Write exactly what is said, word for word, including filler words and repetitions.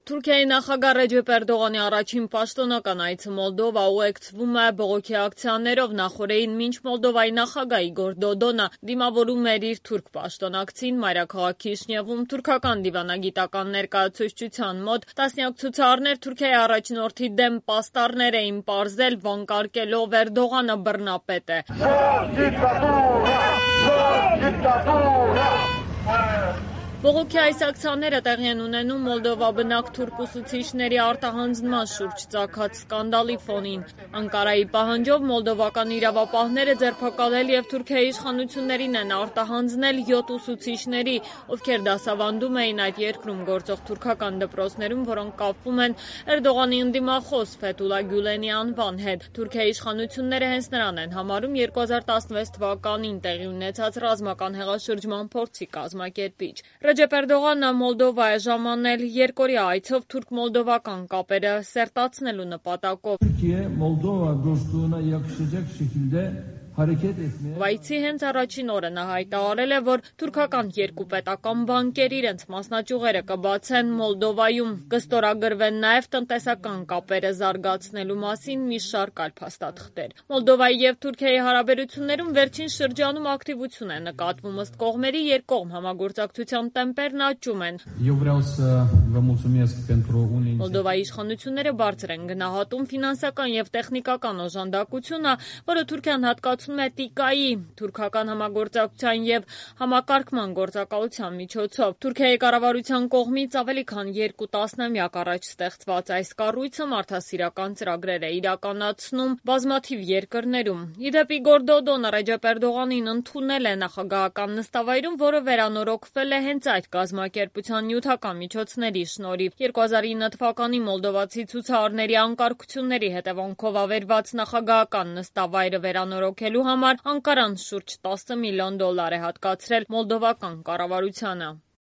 Թուրքիայի նախագահ Ռեջեփ Էրդողանի առաջին պաշտոնական այցը Մոլդովա ուղեկցվում է բողոքի ակցիաներով։ Նախօրեին մինչ Մոլդովայի նախագահ Իգոր Դոդոնը դիմավորում էր իր թուրք պաշտոնակցին, մայրաքաղաք Քիշինևում թուրքական դիվանագիտական ներկայացուցչության մոտ տասնյակ ցուցարարներ Թուրքիայի առաջնորդի դեմ պաստառներ էին պարզել, վանկարկելով Էրդողանը բռնապետ է։ Բողոքի այս ակցիաները տեղի են ունենում Մոլդովա բնակ թուրք ուսուցիչների արտահանձնման շուրջ ծագած սկանդալի ֆոնին։ Անկարայի պահանջով մոլդովական իրավապահները ձերբակալել և Թուրքիայի իշխանություններին են արտահանձնել յոթ ուսուցիչների, ովքեր դասավանդում էին այդ երկրում գործող թուրքական դպրոցներում, որոնք կապվում են Էրդողանի ընդդիմախոս Ֆեթուլա Գյուլենի անվան հետ։ Թուրքիայի իշխանությունները հենց նրան են համարում երկու հազար տասնվեց թվականին տեղի ունեցած ռազմական հեղաշրջման փորձի կազմակերպիչ։ Ռեջեփ Էրդողանը Մոլդովա է ժամանել երկօրյա այցով թուրք-մոլդովական կապերը սերտացնելու նպատակով։ Այցի հենց առաջին օրը նա հայտարարել է, որ թուրքական երկու պետական բանկեր իրենց մասնաճյուղերը կբացեն Մոլդովայում, կստորագրվեն նաև տնտեսական կապերը զարգացնելու մասին մի շարք այլ փաստաթղթեր։ Մոլդովայի և Թուրքիայի հարաբերություններում վերջին շրջանում ակտիվություն է նկատվում, ըստ կողմերի երկկողմ համագործակցության տեմպերն աճում են։ Մոլդովայի իշխանությունները բարձր են գնահատում ֆինանսական և տեխնիկական օժանդակությունը, որը Թուրքիան հատկացնում է տիկայի, թուրքական համագործակցության և համակարգման գործակալության միջոցով։ Թուրքիայի կառավարության կողմից ավելի քան երկու տասնամյակ առաջ ստեղծված այս կառույցը մարդասիրական ծրագրեր է իրականացնում բազմաթիվ երկրներում։ Ի դեպ, Իգոր Դոդոնը Ռեջեփ Էրդողանին ընդունել է նախագահական նստավայրում, որը վերանորոգվել է հենց այդ կազմակերպության նյութական միջոցների շնորհիվ։ երկու հազար ինը թվականին մոլդովացի ցուցարարների անկարգությունների հետևանքով ավերված նախագահական նստավայրը վերանորոգելու համար Անկարան շուրջ տասը միլիոն դոլար է հատկացրել մոլդովական կառավարությանը։